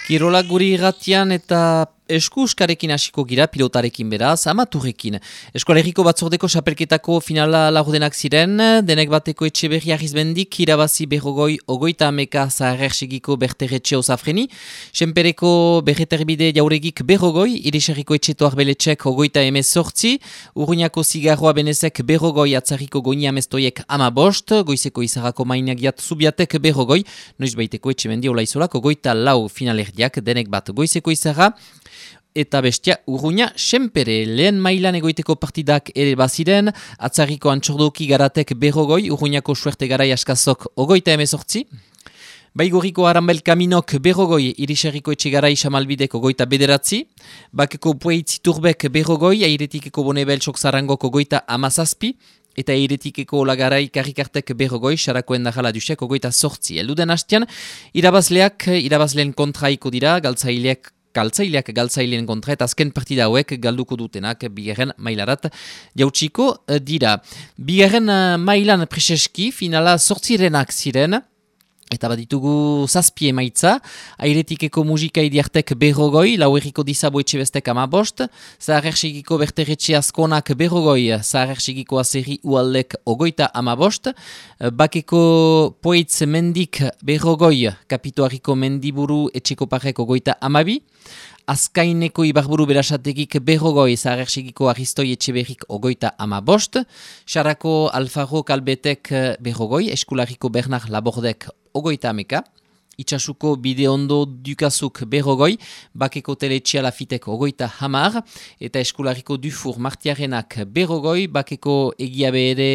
Kirolak guri irratian eta eskuskarekin hasiko gira, pilotarekin beraz, amaturrekin. Eskoaleriko batzordeko xapelketako finala lagudenak ziren, denek bateko Etxeberri Arrizbendik, irabazi berrogoi, ogoita ameka zaharrexegiko berterretxe osafreni, senpereko berreterbide jauregik berrogoi, iriserriko etxeto arbeletxek ogoita emezortzi, urruñako zigarroa benezek berrogoi, atzarriko goini amestoiek amabost, goizeko izarrako mainagiat zubiatek berrogoi, noiz baiteko Etxemendi olaizolak ogoita lau finalerdiak, denek bat goizeko izarra, eta bestia urruña senpere. Lehen mailan egoiteko partidak ere baziren, atzarriko antxordoki garatek berrogoi, urruñako suerte garai askazok ogoita emezortzi, Baigorriko Arambel Kaminok berrogoi, iriserriko etxegarai xamalbidek ogoita bederatzi, bakeko pueitzi turbek berrogoi, airetikeko bonebel soksarangok ogoita amazazpi, eta airetikeko lagarai karrikartek berrogoi, xarakoen dajala dusek ogoita sortzi. Elduden hastian, irabazleen kontraiko dira, galtzaileak galtzaileen kontra eta azken partida hauek galduko dutenak bigarren mailarat jautsiko dira. Bigarren mailan preseski finala sortzirenak ziren, eta baditugu zazpie emaitza, airetikeko musika idiartek berrogoi, lauerriko dizabo etxebestek amabost, zaharrexegiko berterretxe askonak berrogoi, zaharrexegiko azerri ualdek ogoita amabost, bakeko poetz mendik berrogoi, kapituariko mendiburu etxeko parek ogoita amabi, Azkaineko ibarburu berasategik berrogoi, zaharrexegiko aristoi etxeberrik ogoita amabost, Xarako Alfaro Kalbetek berrogoi, Eskulariko Bernard Labordek ogoita ameka, Itxasuko Bideondo Dukazuk berrogoi, Bakeko Teletxea Lafitek ogoita hamar, eta Eskulariko Dufur Martiarenak berrogoi, Bakeko Egiabe ere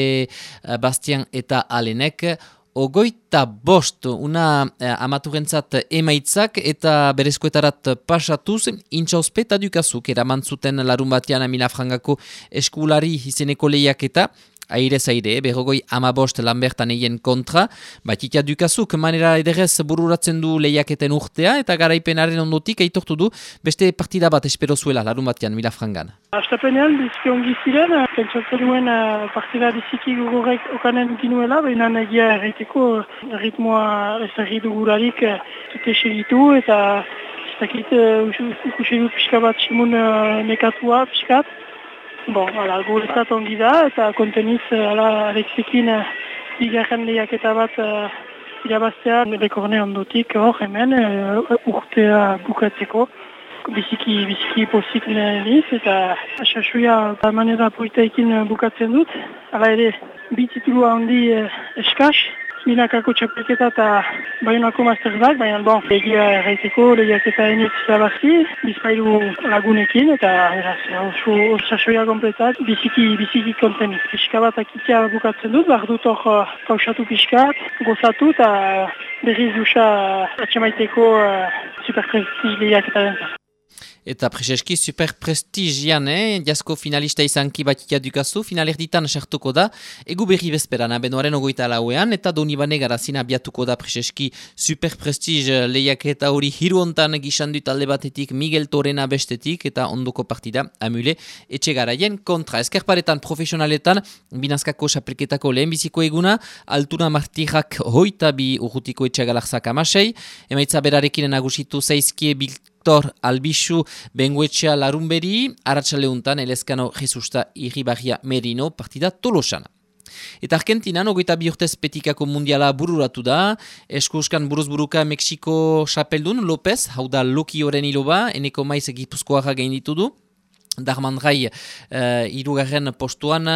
Bastian eta Alenek ogoita bost, una amaturentzat emaitzak eta berezkoetarat pasatuz, intxauspeta dukazuk eraman zuten larun batean Milafrangako eskulari izeneko lehiaketa, airez aire, berrogoi amabost Lambertan eien kontra, batitia dukazuk manera ederrez bururatzen du lehiaketen urtea, eta garaipenaren ondotik aitortu du beste partida bat espero zuela larun batean Milafrangan. Astapenean, biziki ongi ziren, pentsatzen nuen partida biziki gogorrek okanen ginuela, baina egia erraiteko ritmoa ez erri dugularik zute segitu, eta ez dakit ikusi du pixka bat simun nekatua pixkat. Guretzat ongi da, eta konteniz Alexekin bigarren lehiaketa bat irabaztea bekorne ondotik hor hemen urtea bukatzeko. Biziki pozik niz, eta asasuia manera politaikin bukatzen dut. Hala ere, bi titulua handi eskaz, Minakako txapelketa eta Baionako masterzak, baina egia erraiteko lehiaketa enitz zabazi, bizpailu lagunekin, eta sasoia kompletat biziki konteniz. Pixka bat akitea bukatzen dut, behar dut hor kausatu pixkat, gozatu eta berriz duxa atxemaiteko superprestij lehiaketa dentzat. Eta preseski super prestigian, jasko finalista izanki batitia dukazu, finalerditan sartuko da, egu berri bezperan, benoaren ogoita lauean, eta Donibane garazin abiatuko da preseski super prestig lehiaketa hori hiru hontan gisandu talde batetik Miguel Torena bestetik, eta ondoko partida amule etxegaraien kontra. Eskerparetan profesionaletan, binazkako xapelketako lehenbiziko eguna, Altuna Martirak hoita bi urrutiko etxegalarzak amasei, emaitza berarekin nagusitu zaizkie Victor Albizu Benguetxea Larunberi, Arratxaleuntan Elezkano Jesusta Irribarria Merino partida Tolosana. Eta Argentinan, ogoita bi urtez petikako mundiala bururatu da, eskuskan buruzburuka Mexiko xapeldun López, hau da Loki Oren iloba, eneko maiz Gipuzkoarra gainditu du, Darmandrai irugarren postuan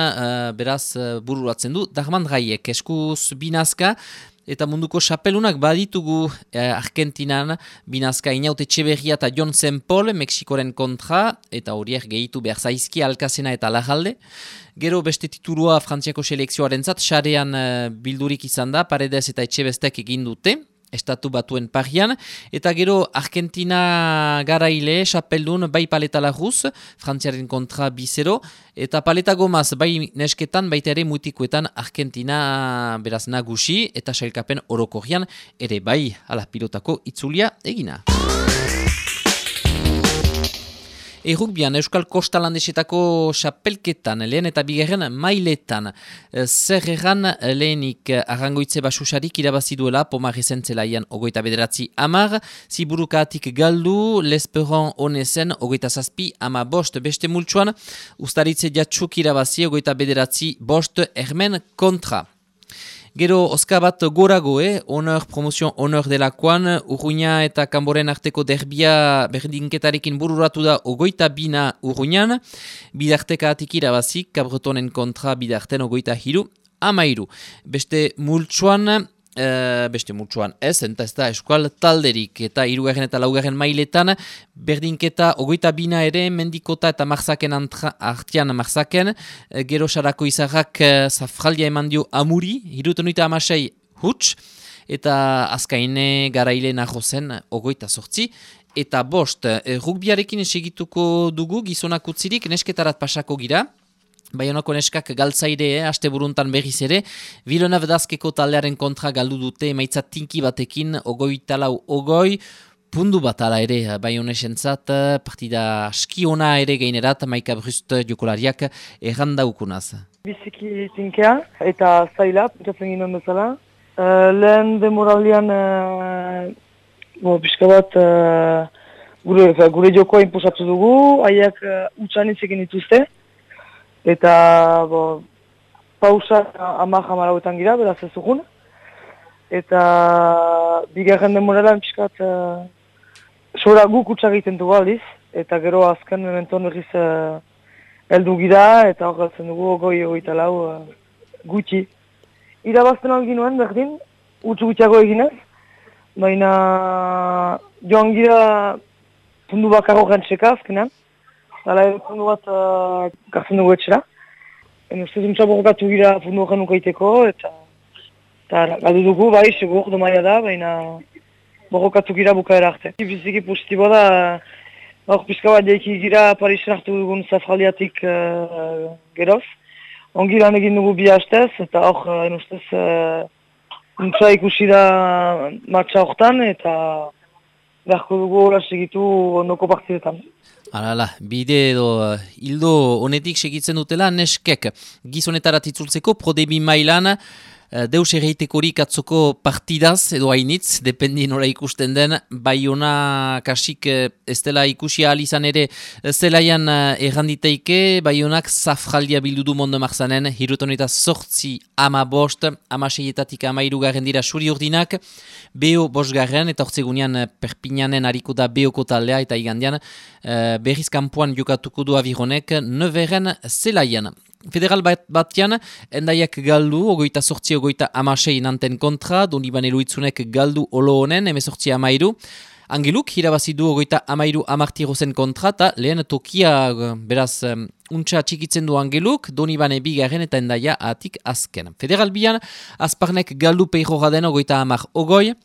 beraz bururatzen du, Darmandraiek eskuz binazka, eta munduko xapelunak baditugu Argentinan binazka Inaute Etxeberria eta Jon Sempol Mexikoren kontra, eta horiek gehitu behar zaizki Alkazena eta Lajalde. Gero beste titulua Frantziako selekzioaren zat, xarean bildurik izan da, Paredes eta Etxebestek egin dute, Estatu Batuen parian, eta gero Argentina garaile, xapeldun, bai Paleta Larruz, Frantziaren kontra bizero, eta Paleta Gomaz, bai nesketan, baita ere mutikoetan Argentina beraz nagusi, eta sailkapen orokorrian, ere bai ala pilotako itzulia egina. Errukbian, Euskal Kostalandesetako xapelketan, lehen eta bigarren mailetan. Zer erran lehenik Arrangoitze Basusarik irabazi duela Pomarrezen zelaian 29-10, Ziburukaatik galdu, Lesperon Onezen 27-15 beste multsuan, Ustaritze Jatsuk irabazi 29-5 Hermen kontra. Gero, oska bat gorago, honor, promozion honor delakoan, Urruña eta Kanboren arteko derbia berdinketarekin bururatu da 22 Urruñan, bidartekaatik irabazik, Kabretonen kontra bidarten 23-13. Beste multsuan ez, eta ez da eskual talderik, eta 3. eta 4. mailetan, berdinketa 22 ere, Mendikota eta Marzaken artian Marzaken, gero sarako izarrak zafraldia eman dio Amuri, 76 huts, eta azkaine garaile nahozen 28, eta 5, rugbiarekin segituko dugu, gizonak utzirik, nesketarat pasako gira, Baionako neskak galtzaire, aste buruntan berriz ere, Villeneuve d'Azkeko taldearen kontra galdu dute emaitza tinki batekin, 24-20, pundu bat ala ere, Baionesentzat, partida askiona ere gainerat, Maika Brust jokolariak errandaukunaz. Biziki tinkea eta zaila, pentsatzen ginen bezala. Lehen demoralian, pixka bat, gure jokoa inposatu dugu, haiek utxan itzekin dituzte. Eta pausa 10-11 gira, beraz ez dugun. Eta bigarren demoralan pixkat sora guk utxak egiten dugu aldiz. Eta gero azken mementon berriz heldu gira eta hor galtzen dugu 24 gutxi. Irabazten algin nuen berdin, utxu gutxiago eginez. Baina joan gira pundu bakarro gantzeka azkenan. Hala pundu bat gartzen dugu etxera. Ustez untsa borrokatu gira pundu horren ukaiteko, eta galdu dugu, bai, segur, domaia da, baina borrokatu gira bukaera arte. Biziki positiboa da, hor pizka bat jaiki gira Parisen hartu dugun zafraliatik geroz. Ongi lan egin dugu bi hastez, eta hor, ustez, untsa ikusi da matxa hortan, eta beharko dugu hola segitu ondoko partidetan. Hala, bide edo hildo honetik segitzen dutela neskek gizonetarat itzultzeko prodebi mailan deus erreitekorik atzoko partidaz edo hainitz, dependi nora ikusten den, Baiona kasik ez dela ikusi ahal izan ere zelaian erranditeike, Baionak zafraldia bildu du Mondo Marzanen, 78-15, 16-etatik 13 dira suri urdinak, Beo 5 eta ortzegunean Perpignanen hariko da Beoko taldea eta igandean berriz kanpoan jokatuko du Avironek 9 zelaian. Federal batian, endaiak galdu, 28-16 nanten kontra, Donibane Luitzunek galdu olo honen, 18-13. Angeluk, irabazidu 30-13 kontra, eta lehen tokia, beraz, untxa txikitzen du Angeluk, Donibane bigarren eta endaia atik azken. Federal bian, Azparnek galdu peiro gaden 30-10,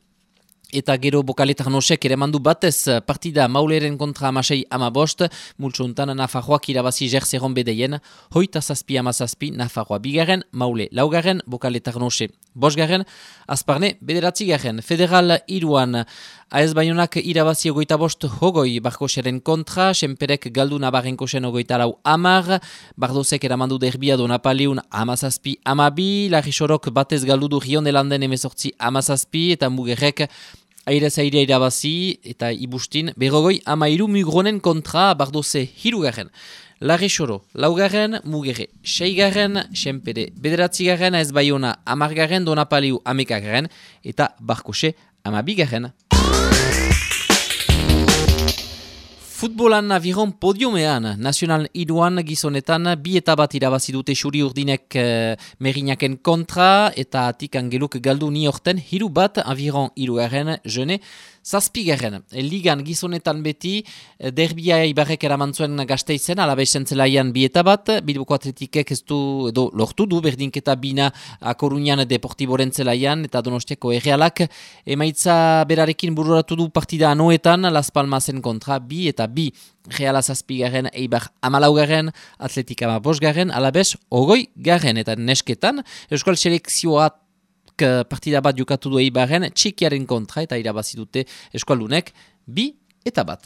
eta gero Bokaletar nosek ere mandu batez partida Mauleren kontra 16-15, multsuntan Nafarroak irabazi Jerzeron bedeien, 8-7-17 Nafarroa bigarren, Maule laugarren, Bokaletar nose 5garren, Azparne 9garren. Federal 3an, AS Baionak irabazi 25-20 Barkoseren kontra, Senperek galdu Nabarrenkosen 24-10, Bardozek eramandu derbia do Napaleun 17-12, Larixorok batez galdu du Riondelanden 18-17, eta Mugerrek Airez airea irabazi eta ibustin, 13 Mugronen kontra Bardoze 3garren. Larixoro 4garren, Mugerre 6garren, Senpere 9garren, AS Baiona 10garren, Donapaleu 11garren, eta Barkose 12garren. Futbolan Aviron podiumean, Nacional 3an gizonetan, 2 eta bat irabazi dute suri urdinek Merinaken kontra, eta atik Angeluk galdu ni horten, 3 bat Aviron 3garren, Jene 7garren. Ligan gizonetan beti, derbia Ibarrek eramantzuen Gasteizen, alabezen zelaian 2 eta bat, Bilboko Atletikek ez du, edo lortu du, berdinketa bina Koruñan Deportiboren zelaian, eta Donostiako Errealak, emaitza berarekin bururatu du partida anoetan, Las Palmasen kontra 2 eta 2. Reala 7garren, Eibar 14garren, Atletika 5garren, alabez 20garren, eta nesketan, Euskal Selekzioak partida bat jokatu du Eibarren, Txikiaren kontra, eta irabazi dute Eskualdunek 2 eta bat.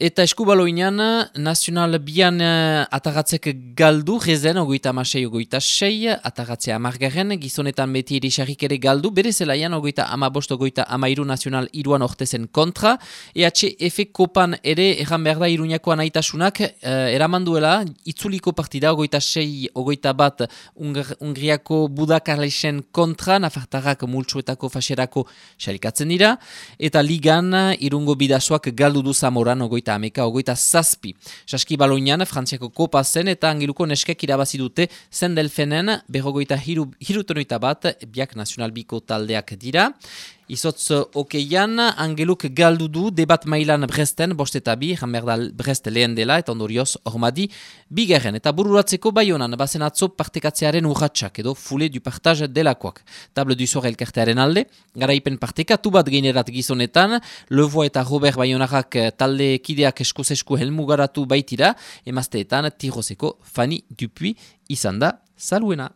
Eta eskubaloinan, nazional bian atagatzek galdu, rezen, 36-36, atagatzea amargarren, gizonetan beti erisarrik ere galdu, bere zelaian, 35-23 nazional iruan ortezen kontra, EHF kopan ere, erran behar da Iruñako anaitasunak, eramanduela, itzuliko partida, 26-21 Ungriako Budakarlesen kontra, nafartarrak multsuetako faserako xarikatzen dira, eta ligan, Irungo bidazoak galdu du Zamoran, 27. Saski baloinan, Frantziako kopa zen eta Angeluko neskek irabazi dute Zendelfenen 21, biak nazional biko taldeak dira. Izotz okeian, Angeluk galdu du debat mailan Bresten, 5-2, Ramberdal Brest lehen dela, eta ondorioz Ormadi bigarren. Eta bururatzeko Baionan, bazen atzo partekatzearen urratxak, edo fule du partage delakoak. Table du Sor elkartearen alde, garaipen partekatu bat geinerat gizonetan, Levoa eta Robert Baionarrak talde kideak esku helmugaratu baitira, emazteetan Tiroseko Fanny Dupuy izan da saluena.